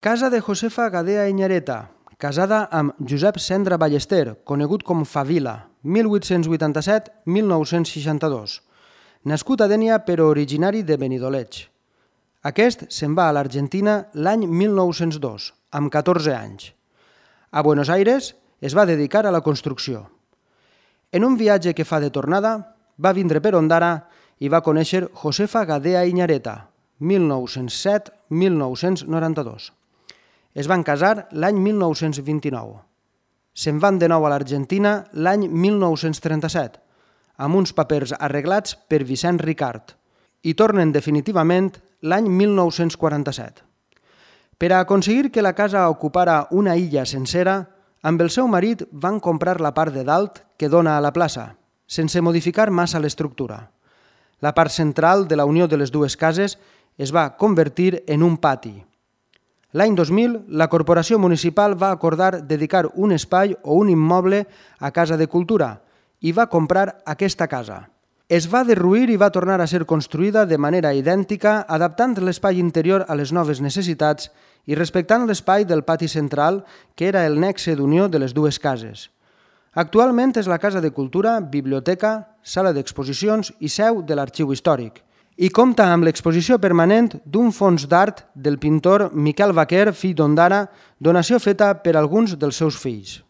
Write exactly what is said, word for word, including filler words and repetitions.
Casa de Josefa Gadea Iñareta, casada amb Josep Cendra Ballester, conegut com Favila, mil vuit-cents vuitanta-set a mil nou-cents seixanta-dos. Nascut a Dénia però originari de Benidoleig. Aquest se'n va a l'Argentina l'any mil nou-cents dos, amb catorze anys. A Buenos Aires es va dedicar a la construcció. En un viatge que fa de tornada, va vindre per Ondara i va conèixer Josefa Gadea Iñareta, mil nou-cents set a mil nou-cents noranta-dos. Es van casar l'any mil nou-cents vint-i-nou. Se'n van de nou a l'Argentina l'any mil nou-cents trenta-set, amb uns papers arreglats per Vicent Ricart, i tornen definitivament l'any mil nou-cents quaranta-set. Per a aconseguir que la casa ocupara una illa sencera, amb el seu marit van comprar la part de dalt que dona a la plaça, sense modificar massa l'estructura. La part central de la unió de les dues cases es va convertir en un pati. L'any dos mil, la Corporació Municipal va acordar dedicar un espai o un immoble a Casa de Cultura i va comprar aquesta casa. Es va derruir i va tornar a ser construïda de manera idèntica, adaptant l'espai interior a les noves necessitats i respectant l'espai del pati central, que era el nexe d'unió de les dues cases. Actualment és la Casa de Cultura, biblioteca, sala d'exposicions i seu de l'Arxiu Històric, i compta amb l'exposició permanent d'un fons d'art del pintor Miquel Vaquer, fill d'Ondara, donació feta per alguns dels seus fills.